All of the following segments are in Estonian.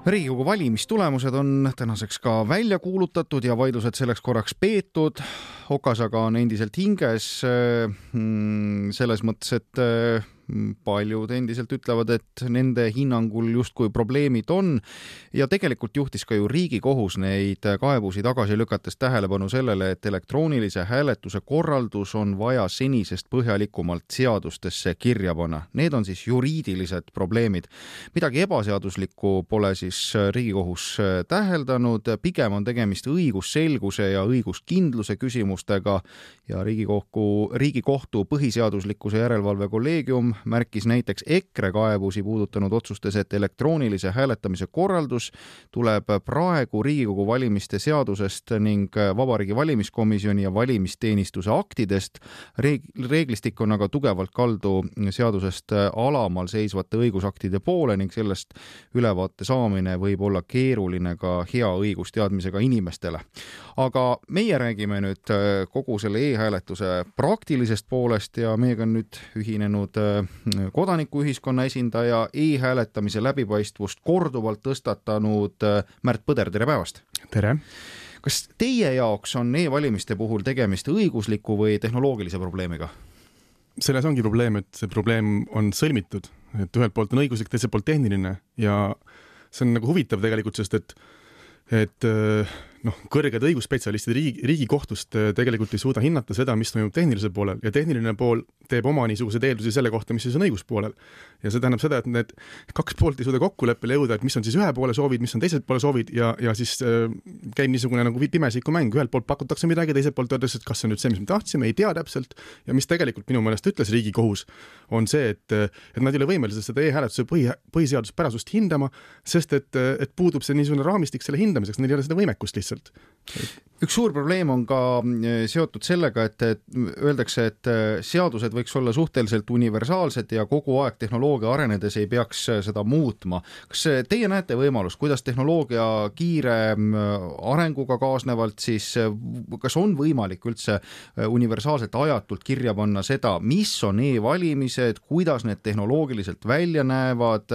Riigikogu valimistulemused on tänaseks ka välja kuulutatud ja vaidlused selleks korraks peetud. Okas aga on endiselt hinges selles mõttes, et paljud endiselt ütlevad, et nende hinnangul justkui probleemid on ja tegelikult juhtis ka ju Riigikohus neid kaebusi tagasi lükates tähelepanu sellele, et elektroonilise hääletuse korraldus on vaja senisest põhjalikumalt seadustesse kirja panna. Need on siis juriidilised probleemid. Midagi ebaseaduslikku pole siis Riigikohus täheldanud, pigem on tegemist õigusselguse ja õiguskindluse küsimustega ja Riigikohtu põhiseaduslikkuse järelevalve kolleegium märkis näiteks EKRE kaebusi puudutanud otsustes, et elektroonilise hääletamise korraldus tuleb praegu Riigikogu valimiste seadusest ning Vabariigi Valimiskomisjoni ja valimisteenistuse aktidest. Reeglistik on aga tugevalt kaldu seadusest alamal seisvate õigusaktide poole ning sellest ülevaate saamine võib olla keeruline ka hea õigusteadmisega inimestele. Aga meie räägime nüüd kogu selle e-hääletuse praktilisest poolest ja meiega on nüüd ühinenud kodanikuühiskonna esindaja, e-hääletamise läbipaistvust korduvalt tõstatanud Märt Põder, tere päevast! Tere! Kas teie jaoks on e-valimiste puhul tegemist õigusliku või tehnoloogilise probleemiga? Selles ongi probleem, et see probleem on sõlmitud, et ühelt poolt on õiguslik, teiselt poolt tehniline ja see on nagu huvitav tegelikult, sest et kõrged õigusspetsialistid Riigikohtust tegelikult ei suuda hinnata seda, mis toimub tehnilisel poolel ja tehniline pool teeb oma niisugused eeldusi selle kohta, mis siis on õiguspoolel. Ja see tähendab seda, et need kaks poolt ei suuda kokkuleppele jõuda, et mis on siis ühe poole soovid, mis on teiselt poole soovid ja siis käib niisugune nagu pimesiku mäng. Ühelt poolt pakutakse midagi, teiselt poolt öeldakse, et kas see on nüüd see, mis me tahtsime, ei tea täpselt ja mis tegelikult minu meelest ütles Riigikohus on see, et nad ei ole võimelised seda e-hääletuse põhiseaduspärasust hindama, sest et puudub see niisugune raamistik selle hindamiseks, neil ei ole seda võimekust lihtsalt. Üks suur probleem on ka seotud sellega, et öeldakse, et seadused võiks olla suhteliselt universaalsed ja kogu aeg tehnoloogia arenedes ei peaks seda muutma. Kas teie näete võimalust, kuidas tehnoloogia kiire arenguga kaasnevalt siis, kas on võimalik üldse universaalselt ajatult kirja panna seda, mis on e-valimised, kuidas need tehnoloogiliselt välja näevad,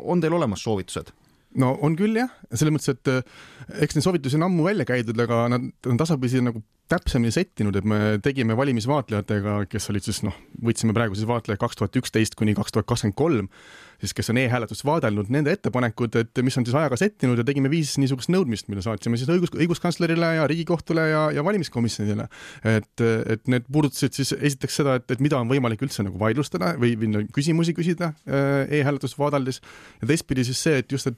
on teil olemas soovitused? No on küll jah, selles mõttes, et eks need soovitusi on ammu välja käidud, aga nad on tasapisi nagu täpsemini settinud, et me tegime valimisvaatlejatega, kes olid siis, võtsime praegu siis vaatleja 2011 kuni 2023, siis kes on e-hääletust vaadelnud, nende ettepanekud, et mis on siis ajaga settinud ja tegime 5 niisugust nõudmist, mille saatsime siis õiguskantslerile ja Riigikohtule ja valimiskomisjonile. Et need puudutasid siis esiteks seda, et mida on võimalik üldse nagu vaidlustada või küsimusi küsida e-hääletust vaadeldes ja teistpidi siis see, et just,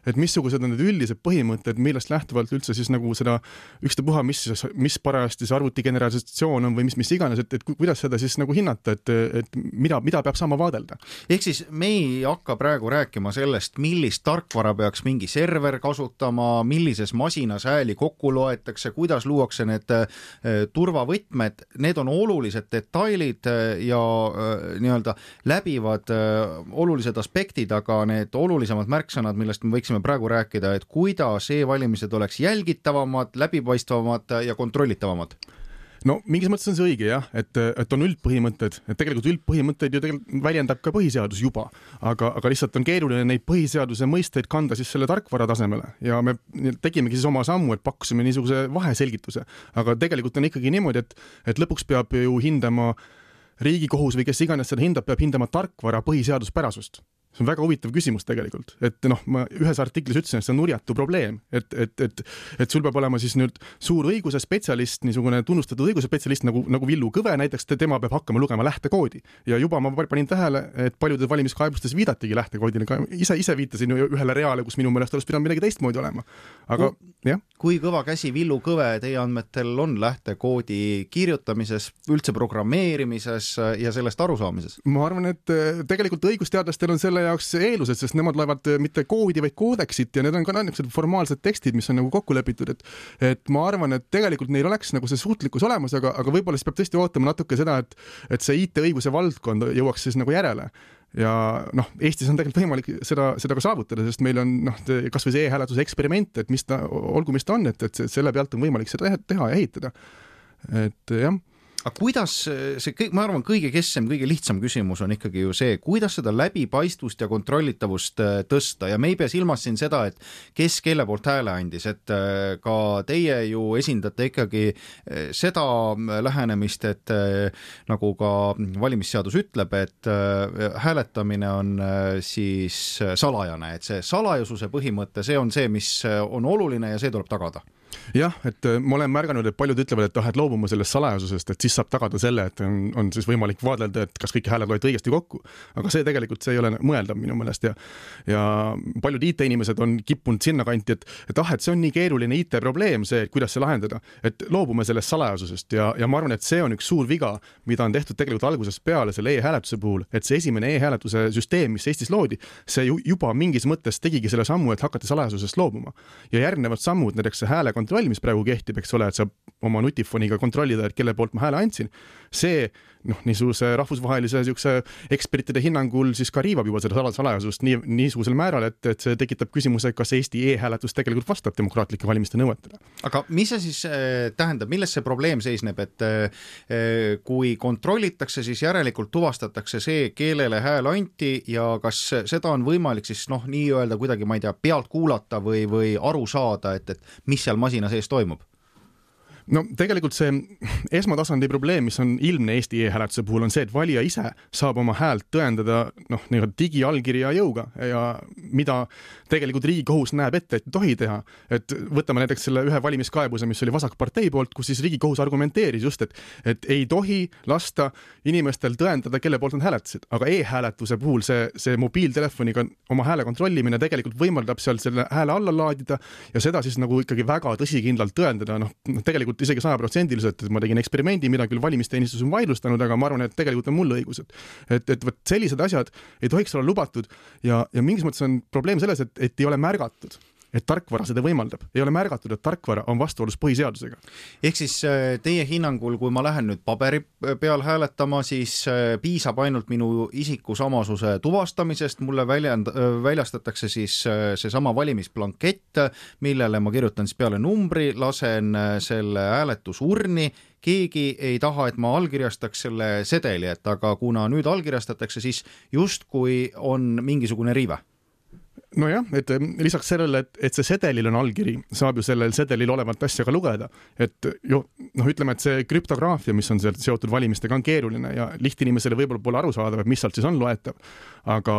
et missugused on need üldised põhimõtted, millest lähtuvalt üldse siis nagu seda ükstapuha, mis parajasti see arvutigeneratsioon on või mis iganes, et kuidas seda siis nagu hinnata, et mida peab saama vaadelda. Ehk siis me ei hakka praegu rääkima sellest, millist tarkvara peaks mingi server kasutama, millises masinas hääli kokku loetakse, kuidas luuakse need turvavõtmed, need on olulised detailid ja nii-öelda läbivad olulised aspektid, aga need olulisemad märksõnad, millest me võiksime praegu rääkida, et kuidas e-valimised oleks jälgitavamad, läbipaistvamad ja kontrollitavamad? No mingis mõttes on see õige jah, et on üldpõhimõtted, et tegelikult üldpõhimõtteid ju tegelikult väljendab ka põhiseadus juba, aga lihtsalt on keeruline neid põhiseaduse mõisteid kanda siis selle tarkvara tasemele ja me tegimegi siis oma sammu, et pakkusime niisuguse vaheselgituse, aga tegelikult on ikkagi niimoodi, et lõpuks peab ju hindama Riigikohus või kes iganes seda hindab, peab hindama tarkvara põhiseaduspärasust. See on väga huvitav küsimus tegelikult, et ma ühes artiklis ütlesin, et see on nurjatu probleem, et sul peab olema siis nüüd suur õiguse spetsialist, niisugune tunnustatud õiguse spetsialist nagu Villu Kõve näiteks, tema peab hakkama lugema lähtekoodi ja juba ma panin tähele, et paljudes valimiskaebustes viidatigi lähtekoodile, ka ise viitasin ühele reale, kus minu meelest oleks pidanud midagi teistmoodi olema. Aga jah. Kui kõva käsi Villu Kõve teie andmetel on lähtekoodi kirjutamises, üldse programmeerimises ja sellest arusaamises? Ma arvan, et tegelikult õigusteadlastel on selle jaoks eelused, sest nemad loevad mitte koodi, vaid koodeksit ja need on ka niisugused formaalsed tekstid, mis on nagu kokku lepitud, et ma arvan, et tegelikult neil oleks nagu see suutlikkus olemas, aga võib-olla siis peab tõesti ootama natuke seda, et see IT-õiguse valdkond jõuaks siis nagu järele. Ja Eestis on tegelikult võimalik seda ka saavutada, sest meil on kas või see e-hääletuse eksperiment, et olgu mis ta on, et selle pealt on võimalik seda teha ja ehitada. Et jah. Aga kuidas see, ma arvan, kõige kesksem, kõige lihtsam küsimus on ikkagi ju see, kuidas seda läbipaistvust ja kontrollitavust tõsta ja me ei pea silmas siin seda, et kes kelle poolt hääle andis, et ka teie ju esindate ikkagi seda lähenemist, et nagu ka valimisseadus ütleb, et hääletamine on siis salajane, et see salajasuse põhimõte, see on see, mis on oluline ja see tuleb tagada. Jah, et ma olen märganud, et paljud ütlevad, et loobuma sellest salajasusest, et siis saab tagada selle, et on siis võimalik vaadelda, et kas kõik hääled loeti õigesti kokku. Aga see tegelikult see ei ole mõeldav minu meelest ja paljud IT-inimesed on kippunud sinna kanti, et see on nii keeruline IT-probleem, see, et kuidas see lahendada, et loobume sellest salajasusest ja ma arvan, et see on üks suur viga, mida on tehtud tegelikult algusest peale selle e-hääletuse puhul, et see esimene e-hääletuse süsteem, mis Eestis loodi, see juba mingis mõttes tegigi selle sammu, et hakati salajasusest loobuma. Ja järgnevad sammud, näiteks see hääle kontroll, mis praegu kehtib, eks ole, et saab oma nutifoniga kontrollida, et kelle poolt ma hääle andsin. See niisuguse rahvusvahelise ekspertide hinnangul siis ka riivab juba seda salajasust niisugusel määral, et see tekitab küsimuse, kas Eesti e-hääletus tegelikult vastab demokraatlike valimiste nõuetele. Aga mis see siis tähendab, milles see probleem seisneb, et kui kontrollitakse, siis järelikult tuvastatakse see, kellele hääl anti ja kas seda on võimalik siis nii-öelda kuidagi, ma ei tea, pealt kuulata või aru saada, et mis seal masina sees toimub? No tegelikult see esmatasandi probleem, mis on ilmne Eesti e-hääletuse puhul, on see, et valija ise saab oma häält tõendada digiallkirja jõuga ja mida tegelikult Riigikohus näeb ette, et tohi teha. Et võtame näiteks selle ühe valimiskaebuse, mis oli Vasakpartei poolt, kus siis Riigikohus argumenteeris just, et ei tohi lasta inimestel tõendada, kelle poolt nad hääletasid. Aga e-hääletuse puhul see mobiiltelefoniga oma hääle kontrollimine tegelikult võimaldab seal selle hääle alla laadida ja seda siis nagu ikkagi väga tõsikindlalt tõendada. Tegelikult isegi 100%, et ma tegin eksperimendi, mida küll valimisteenistus on vaidlustanud, aga ma arvan, et tegelikult on mul õigus. Et sellised asjad ei tohiks olla lubatud ja mingis mõttes on probleem selles, et ei ole märgatud, et tarkvara seda võimaldab. Ei ole märgatud, et tarkvara on vastuolus põhiseadusega. Ehk siis teie hinnangul, kui ma lähen nüüd paberi peal hääletama, siis piisab ainult minu isikusamasuse tuvastamisest, mulle väljastatakse siis seesama valimisplankett, millele ma kirjutan siis peale numbri, lasen selle hääletusurni, keegi ei taha, et ma allkirjastaks selle sedeli, et aga kuna nüüd allkirjastatakse, siis justkui on mingisugune riive. Nojah, et lisaks sellele, et see sedelil on allkiri, saab ju sellel sedelil olevat asja ka lugeda. Et ütleme, et see krüptograafia, mis on seotud valimistega, on keeruline ja lihtinimesele võib-olla pole aru saada, mis sealt siis on loetav. Aga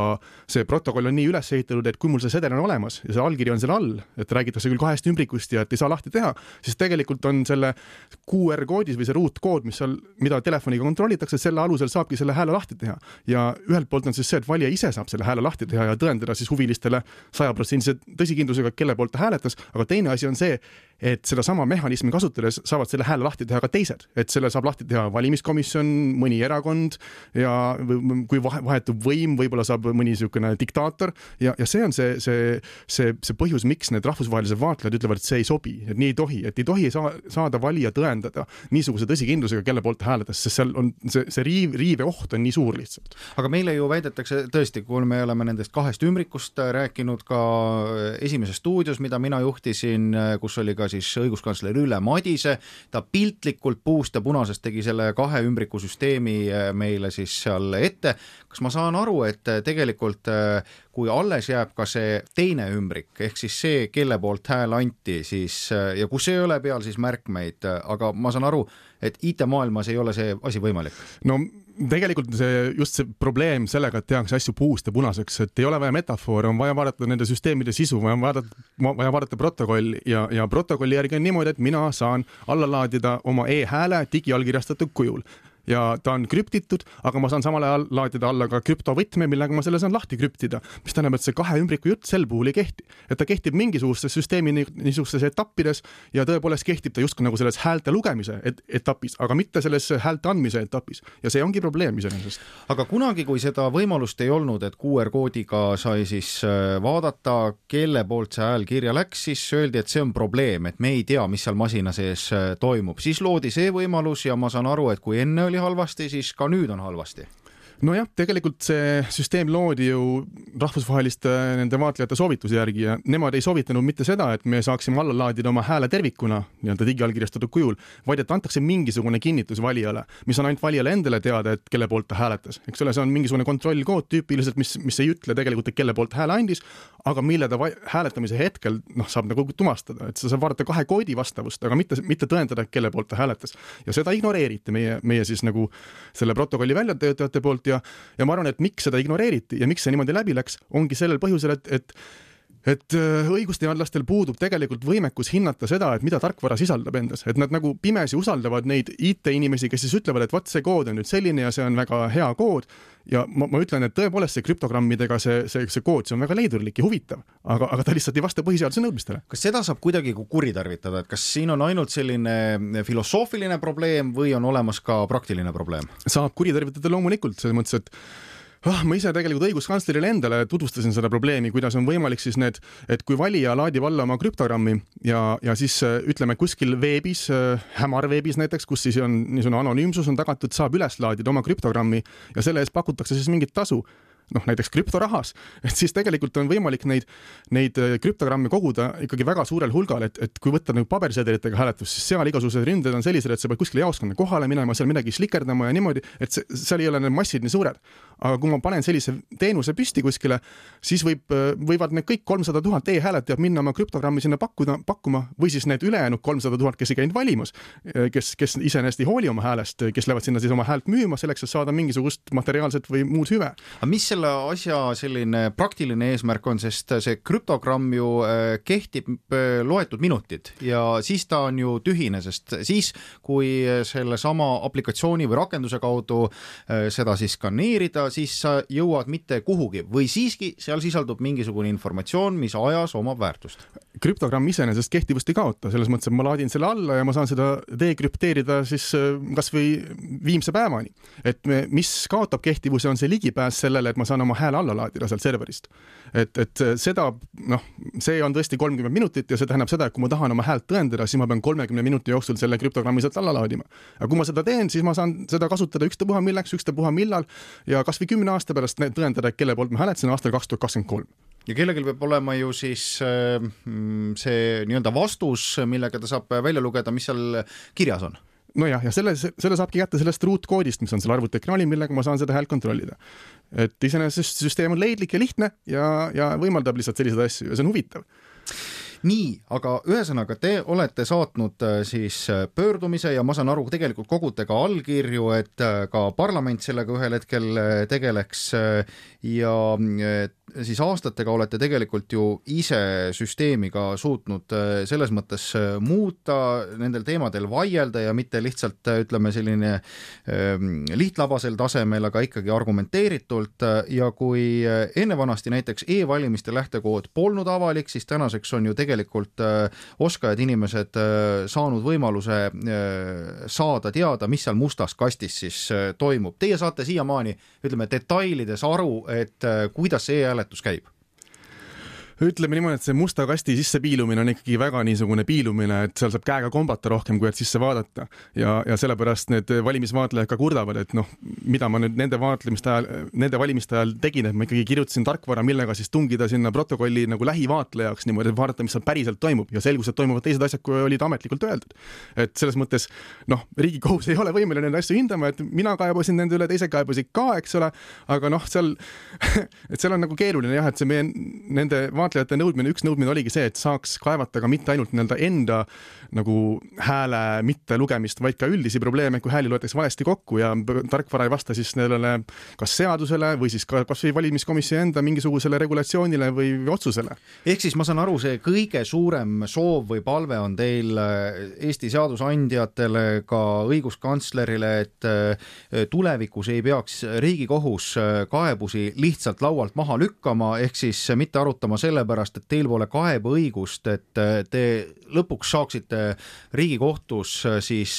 see protokoll on nii üles ehitatud, et kui mul see sedel on olemas ja see allkiri on selle all, et räägitakse küll 2 ümbrikust ja et ei saa lahti teha, siis tegelikult on selle QR-koodis või see ruutkood, mida telefoniga kontrollitakse, selle alusel saabki selle hääle lahti teha. Ja ühelt poolt on siis see, et valija ise saab selle hääle lahti teha ja tõendada siis huvilistele 100% tõsikindlusega, kelle poolt ta hääletas, aga teine asi on see, et seda sama mehhanismi kasutades saavad selle hääle lahti teha ka teised, et selle saab lahti teha valimiskomisjon, mõni erakond ja kui vahetub võim, võib-olla saab mõni niisugune diktaator ja see on see põhjus, miks need rahvusvahelised vaatlejad ütlevad, et see ei sobi, et nii ei tohi, et ei tohi saada valija tõendada niisuguse tõsikindlusega, kelle poolt ta hääletas, sest seal on see riive oht on nii suur lihtsalt. Aga meile ju väidetakse tõesti, kui me oleme nendest 2 ümbrikust rääkinud ka esimeses stuudios, mida mina juhtisin, kus oli ka siis õiguskantsler Ülle Madise, ta piltlikult puust ja punasest tegi selle 2 ümbriku süsteemi meile siis seal ette. Kas ma saan aru, et tegelikult kui alles jääb ka see teine ümbrik, ehk siis see, kelle poolt hääl anti, siis, ja kus ei ole peal siis märkmeid, aga ma saan aru, et IT-maailmas ei ole see asi võimalik? No tegelikult just see probleem sellega, et tehakse asju puust ja punaseks, et ei ole vaja metafoore, on vaja vaadata nende süsteemide sisu, vaja vaadata protokolli ja protokolli järgi on niimoodi, et mina saan alla laadida oma e-hääle digiallkirjastatud kujul. Ja ta on krüptitud, aga ma saan samal ajal laadida alla ka krüptovõtme, millega ma selle saan lahti krüptida, mis tähendab, et see 2 ümbriku jutt sel puhul ei kehti. Et ta kehtib mingisugustes süsteemi niisugustes etappides ja tõepoolest kehtib ta just nagu selles häälte lugemise etapis, aga mitte selles häälte andmise etapis. Ja see ongi probleem iseenesest. Aga kunagi, kui seda võimalust ei olnud, et QR-koodiga sai siis vaadata, kelle poolt see hääl kirja läks, siis öeldi, et see on probleem, et me ei tea, mis seal masina sees toimub. Siis loodi see võimalus ja ma saan aru, et kui enne oli halvasti, siis ka nüüd on halvasti. Nojah, tegelikult see süsteem loodi ju rahvusvaheliste nende vaatlejate soovituse järgi ja nemad ei soovitanud mitte seda, et me saaksime alla laadida oma hääle tervikuna nii-öelda digiallkirjastatud kujul, vaid et antakse mingisugune kinnitus valijale, mis on ainult valijale endale teada, et kelle poolt ta hääletas. Eks ole, see on mingisugune kontrollkood tüüpiliselt, mis ei ütle tegelikult, et kelle poolt hääle andis, aga mille ta hääletamise hetkel saab nagu tumastada, et sa saab vaadata 2 koodi vastavust, aga mitte tõendada, kelle poolt ta hääletas. Ja seda ignoreeriti meie siis nagu selle protokolli väljatöötajate poolt ja ma arvan, et miks seda ignoreeriti ja miks see niimoodi läbi läks, ongi sellel põhjusel, et õigusteadlastel puudub tegelikult võimekus hinnata seda, et mida tarkvara sisaldab endas, et nad nagu pimesi usaldavad neid IT-inimesi, kes siis ütlevad, et vaat see kood on nüüd selline ja see on väga hea kood ja ma ütlen, et tõepoolest see krüptogrammidega see kood, see on väga leidurlik ja huvitav, aga ta lihtsalt ei vasta põhiseaduse nõudmistele. Kas seda saab kuidagi kuritarvitada, et kas siin on ainult selline filosoofiline probleem või on olemas ka praktiline probleem? Saab kuritarvitada loomulikult, selles mõttes, et ma ise tegelikult õiguskantslerile endale tutvustasin seda probleemi, kuidas on võimalik siis et kui valija laadib alla oma krüptogrammi ja siis ütleme kuskil veebis, hämarveebis näiteks, kus siis on niisugune anonüümsus on tagatud, saab üles laadida oma krüptogrammi ja selle eest pakutakse siis mingit tasu, näiteks krüptorahas, et siis tegelikult on võimalik neid krüptogramme koguda ikkagi väga suurel hulgal, et kui võtta pabersedelitega hääletus, siis seal igasugused ründed on sellised, et sa pead kuskile jaoskonna kohale minema, seal midagi slikerdama ja niimoodi, et seal ei ole need massid nii suured. Aga kui ma panen sellise teenuse püsti kuskile, siis võivad need kõik 300 000 e-hääletajad minna oma krüptogrammi sinna pakkuma või siis need ülejäänud 300 000, kes ei käinud valimas, kes iseenesest ei hooli oma häälest, kes lähevad sinna siis oma häält müüma selleks, et saada mingisugust materiaalset või muud hüve. Aga mis selle asja selline praktiline eesmärk on, sest see krüptogramm ju kehtib loetud minutid ja siis ta on ju tühine, sest siis, kui selle sama aplikatsiooni või rakenduse kaudu seda siis skaneerida, siis sa jõuad mitte kuhugi või siiski seal sisaldub mingisugune informatsioon, mis ajas omab väärtust. Krüptogramm iseenesest kehtivust ei kaota, selles mõttes, et ma laadin selle alla ja ma saan seda dekrüpteerida siis kas või viimse päevani. Et mis kaotab kehtivuse, on see ligipääs sellele, et ma saan oma hääle alla laadida sealt serverist. Et seda, see on tõesti 30 minutit ja see tähendab seda, et kui ma tahan oma häält tõendada, siis ma pean 30 minuti jooksul selle krüptogrammi sealt alla laadima. Aga kui ma seda teen, siis ma saan seda kasutada ükstapuha milleks, ükstapuha millal ja kas või 10 aasta pärast tõendada, kelle poolt ma hääletasin aastal 2023. Ja kellelgi peab olema ju siis see nii-öelda vastus, millega ta saab välja lugeda, mis seal kirjas on. Nojah, ja selle saabki kätte sellest ruutkoodist, mis on seal arvutiekraanil, millega ma saan seda häält kontrollida. Et iseenesest süsteem on leidlik ja lihtne ja võimaldab lihtsalt selliseid asju ja see on huvitav. Nii, aga ühesõnaga te olete saatnud siis pöördumise ja ma saan aru, tegelikult kogute ka allkirju, et ka parlament sellega ühel hetkel tegeleks ja siis aastatega olete tegelikult ju ise süsteemi ka suutnud selles mõttes muuta, nendel teemadel vaielda ja mitte lihtsalt ütleme selline lihtlabasel tasemel, aga ikkagi argumenteeritult ja kui enne vanasti näiteks e-valimiste lähtekood polnud avalik, siis tänaseks on ju tegelikult oskajad inimesed saanud võimaluse saada teada, mis seal mustas kastis siis toimub. Teie saate siiamaani, ütleme, detailides aru, et kuidas see e-hääletus käib? Ütleme niimoodi, et see musta kasti sisse piilumine on ikkagi väga niisugune piilumine, et seal saab käega kombata rohkem, kui et sisse vaadata. Ja sellepärast need valimisvaatlejad ka kurdavad, et mida ma nüüd nende valimiste ajal tegin, et ma ikkagi kirjutasin tarkvara, millega siis tungida sinna protokolli nagu lähivaatlejaks niimoodi, et vaadata, mis seal päriselt toimub ja selgus, et toimuvad teised asjad, kui olid ametlikult öeldud. Et selles mõttes, Riigikohus ei ole võimeline nende asju hindama, et mina kaebasin nende üle, teise kaebasid ka, eks ole, aga seal on nagu keeruline jah, et see meie nende vaatlejate nõudmine, üks nõudmine oligi see, et saaks kaevata ka mitte ainult enda nagu hääle mitte lugemist, vaid ka üldisi probleeme, kui hääli loetakse valesti kokku ja tarkvara ei vasta siis nendele kas seadusele või siis kas või valimiskomisjoni enda mingisugusele regulatsioonile või otsusele. Ehk siis ma saan aru, see kõige suurem soov või palve on teil Eesti seadusandjatele, ka õiguskantslerile, et tulevikus ei peaks Riigikohus kaebusi lihtsalt laualt maha lükkama, ehk siis mitte arutama selle sellepärast, et teil pole kaebeõigust, et te lõpuks saaksite Riigikohtus siis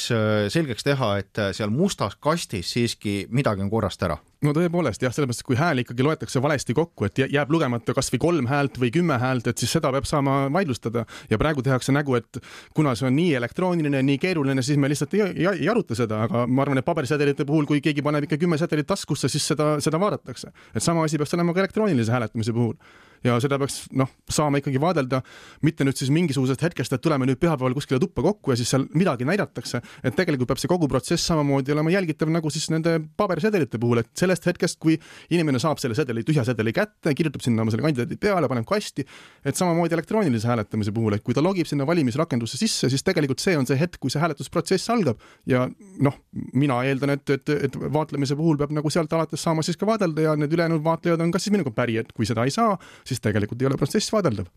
selgeks teha, et seal mustas kastis siiski midagi on korrast ära? No tõepoolest, jah, sellepärast, kui hääl ikkagi loetakse valesti kokku, et jääb lugemata kas või 3 häält või 10 häält, et siis seda peab saama vaidlustada. Ja praegu tehakse nägu, et kuna see on nii elektrooniline, nii keeruline, siis me lihtsalt ei aruta seda, aga ma arvan, et pabersedelite puhul, kui keegi paneb ikka 10 sedelit taskusse, siis seda vaadatakse. Et sama asi peaks olema ka elektroonilise hääletamise puhul. Ja seda peaks saama ikkagi vaadelda, mitte nüüd siis mingisugusest hetkest, et tuleme nüüd pühapäeval kuskile tuppa kokku ja siis seal midagi näidatakse, et tegelikult peab see kogu protsess samamoodi olema jälgitav nagu siis nende pabersedelite puhul, et sellest hetkest, kui inimene saab selle sedeli, tühja sedeli kätte, kirjutab sinna oma selle kandidaadi peale, paneb kasti, et samamoodi elektroonilise hääletamise puhul, et kui ta logib sinna valimisrakendusse sisse, siis tegelikult see on see hetk, kui see hääletusprotsess algab ja mina eeldan, et vaatlemise puhul peab nagu sealt alates saama siis ka vaadelda ja need ülejäänud vaatlejad on kas siis minuga päri, et kui seda ei saa, siis tegelikult ei ole protsess vaadeldav.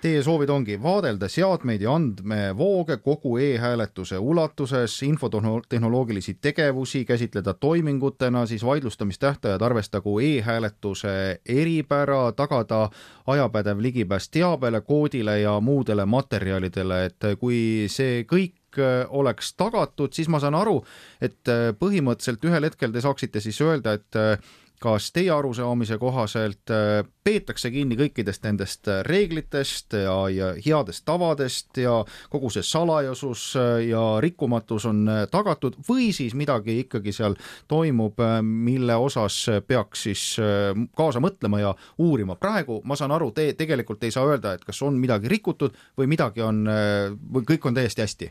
Teie soovid ongi vaadelda seadmeid ja andmevooge kogu e-hääletuse ulatuses, infotehnoloogilisi tegevusi käsitleda toimingutena, siis vaidlustamistähtajad arvestagu e-hääletuse eripära, tagada ajapädev ligipääs teabele, koodile ja muudele materjalidele, et kui see kõik oleks tagatud, siis ma saan aru, et põhimõtteliselt ühel hetkel te saaksite siis öelda, et kas teie arusaamise kohaselt peetakse kinni kõikidest nendest reeglitest ja headest tavadest ja kogu see salajasus ja rikkumatus on tagatud või siis midagi ikkagi seal toimub, mille osas peaks siis kaasa mõtlema ja uurima. Praegu ma saan aru, te tegelikult ei saa öelda, et kas on midagi rikutud või midagi on, või kõik on täiesti hästi.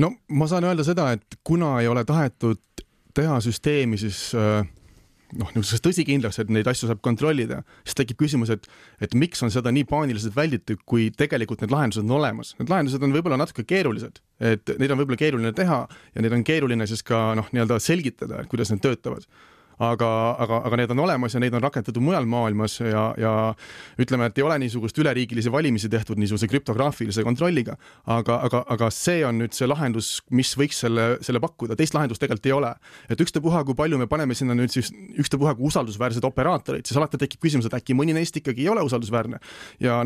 No ma saan öelda seda, et kuna ei ole tahetud teha süsteemi siis niisugusest tõsikindlaks, et neid asju saab kontrollida, siis tekib küsimus, et miks on seda nii paaniliselt välditud, kui tegelikult need lahendused on olemas. Need lahendused on võib-olla natuke keerulised, et neid on võib-olla keeruline teha ja neid on keeruline siis ka nii-öelda selgitada, et kuidas need töötavad. Aga need on olemas ja neid on rakendatud mujal maailmas ja ütleme, et ei ole niisugust üleriigilisi valimisi tehtud niisuguse krüptograafilise kontrolliga, aga see on nüüd see lahendus, mis võiks selle pakkuda. Teist lahendust tegelikult ei ole. Et ükstapuha, kui palju me paneme sinna nüüd siis ükstapuha kui usaldusväärsed operaatorid, siis alati tekib küsimus, et äkki mõni neist ikkagi ei ole usaldusväärne. Ja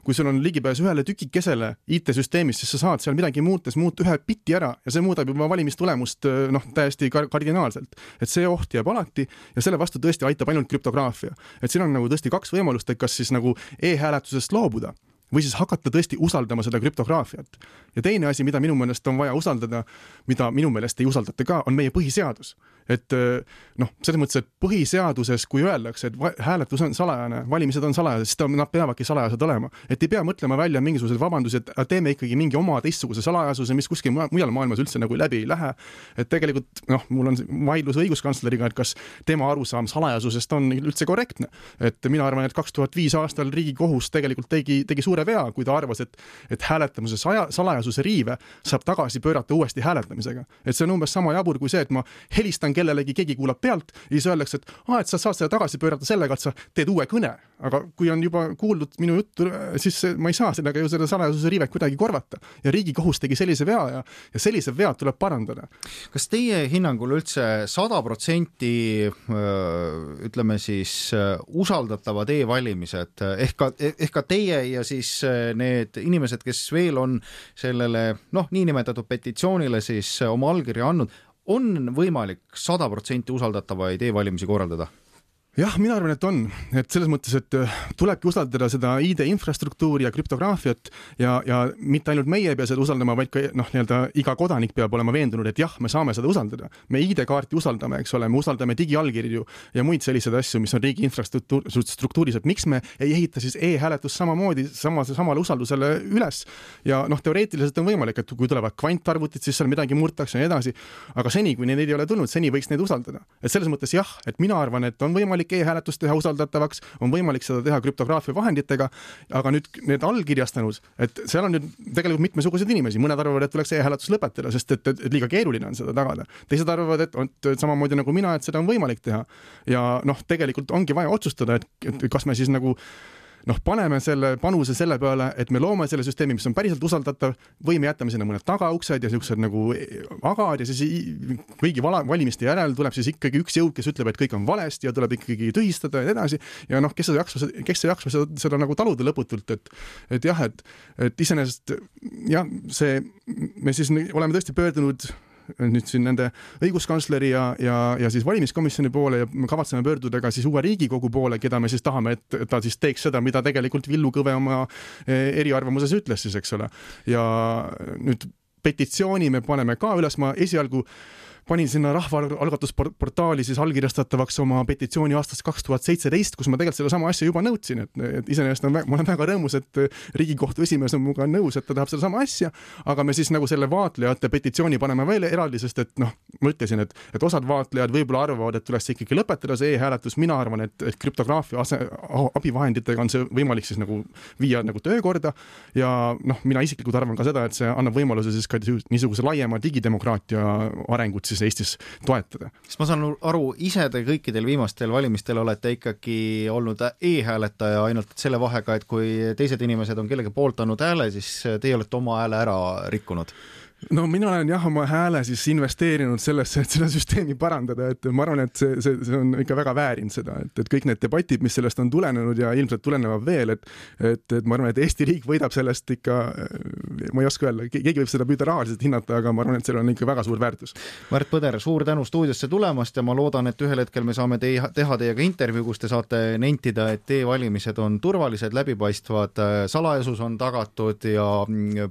kui sul on ligipääs ühele tükikesele IT-süsteemis, siis sa saad seal midagi muuta ühe bitti ära ja see muudab juba valimistulemust täiesti kardinaalselt. Et see oht jääb alati ja selle vastu tõesti aitab ainult krüptograafia. Et siin on nagu tõesti 2 võimalust, et kas siis nagu e-hääletusest loobuda või siis hakata tõesti usaldama seda krüptograafiat. Ja teine asi, mida minu meelest on vaja usaldada, mida minu meelest ei usaldata ka, on meie põhiseadus. Et selles mõttes, et põhiseaduses, kui öeldakse, et hääletus on salajane, valimised on salajased, siis nad peavadki salajased olema. Et ei pea mõtlema välja mingisugused vabandused, et teeme ikkagi mingi oma teistsuguse salajasuse, mis kuskil mujal maailmas üldse nagu läbi ei lähe. Et tegelikult mul on vaidlus õiguskantsleriga, et kas tema arusaam salajasusest on üldse korrektne. Et mina arvan, et 2005 aastal Riigikohus tegelikult tegi suure vea, kui ta arvas, et hääletamuse salajasuse riive saab tagasi pöörata uuesti hääletamisega. Et see on umbes sama jabur kui see, et ma helistan kellelegi, keegi kuulab pealt ja siis öeldakse, et sa saad seda tagasi pöörata sellega, et sa teed uue kõne. Aga kui on juba kuuldud minu juttu, siis ma ei saa sellega ju selle salajasuse riivet kuidagi korvata. Ja Riigikohus tegi sellise vea ja sellise vead tuleb parandada. Kas teie hinnangul üldse 100% ütleme siis usaldatavad e-valimised ehk ka teie ja siis need inimesed, kes veel on sellele niinimetatud petitsioonile siis oma allkirja andnud, on võimalik 100% usaldatavaid e-valimisi korraldada? Jah, mina arvan, et on. Et selles mõttes, et tulebki usaldada seda ID-infrastruktuuri ja krüptograafiat ja mitte ainult meie ei pea seda usaldama, vaid ka iga kodanik peab olema veendunud, et jah, me saame seda usaldada. Me ID-kaarti usaldame, eks ole, me usaldame digiallkirju ja muid selliseid asju, mis on riigi infrastruktuuris, et miks me ei ehita siis e-hääletus samamoodi samale usaldusele üles. Ja teoreetiliselt on võimalik, et kui tulevad kvantarvutid, siis seal midagi murtakse ja edasi. Aga seni, kui neid ei ole tulnud, seni võiks neid usaldada. Et selles mõttes jah, et mina arvan, et on võimalik e-hääletust teha usaldatavaks, on võimalik seda teha krüptograafia vahenditega, aga nüüd need allkirjastanud, et seal on nüüd tegelikult mitmesuguseid inimesi, mõned arvavad, et tuleks e-hääletus lõpetada, sest et liiga keeruline on seda tagada. Teised arvavad, et samamoodi nagu mina, et seda on võimalik teha. Ja tegelikult ongi vaja otsustada, et kas me siis nagu paneme selle panuse selle peale, et me loome selle süsteemi, mis on päriselt usaldatav, või me jätame sinna mõned tagauksed ja siuksed nagu agad ja siis kõigi valimiste järel tuleb siis ikkagi üks jõud, kes ütleb, et kõik on valesti ja tuleb ikkagi tühistada ja edasi. Ja kes ei jaksa seda nagu taluda lõputult, et jah, et iseenesest jah, me siis oleme tõesti pöördunud nüüd siin nende õiguskantsleri ja siis valimiskomisjoni poole ja me kavatseme pöörduda ka siis uue Riigikogu poole, keda me siis tahame, et ta siis teeks seda, mida tegelikult Villu Kõve oma eriarvamuses ütles siis, eks ole. Ja nüüd petitsiooni me paneme ka üles, ma esialgu panin sinna rahvaalgatusportaali siis allkirjastatavaks oma petitsiooni aastast 2017, kus ma tegelikult selle sama asja juba nõudsin, et iseenesest ma olen väga rõõmus, et Riigikohtu esimees on muga nõus, et ta tahab selle sama asja, aga me siis nagu selle vaatlejate petitsiooni paneme veel eraldi, sest et ma ütlesin, et osad vaatlejad võib-olla arvavad, et tuleks ikkagi lõpetada see e-hääletus, mina arvan, et krüptograafia abivahenditega on see võimalik siis nagu viia nagu töökorda ja mina isiklikult arvan ka seda, et see annab võimaluse siis ka niisuguse laiema digidemokraatia arengut siis Eestis toetada. Sest ma saan aru, ise te kõikidel viimastel valimistel olete ikkagi olnud e-hääletaja ainult selle vahega, et kui teised inimesed on kellegi poolt andnud hääle, siis teie olete oma hääle ära rikkunud. No mina olen jah oma hääle siis investeerinud sellesse, et seda süsteemi parandada, et ma arvan, et see on ikka väga väärinud seda, et kõik need debatid, mis sellest on tulenenud ja ilmselt tulenevad veel, et ma arvan, et Eesti riik võidab sellest ikka, ma ei oska öelda, keegi võib seda püüda rahaliselt hinnata, aga ma arvan, et seal on ikka väga suur väärtus. Märt Põder, suur tänu stuudiosse tulemast ja ma loodan, et ühel hetkel me saame teha teiega intervjuu, kus te saate nentida, et e-valimised on turvalised, läbipaistvad, salajasus on tagatud ja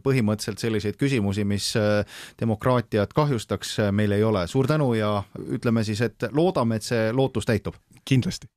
põhimõtteliselt selliseid küsimusi, mis demokraatiat kahjustaks, meil ei ole. Suur tänu ja ütleme siis, et loodame, et see lootus täitub. Kindlasti.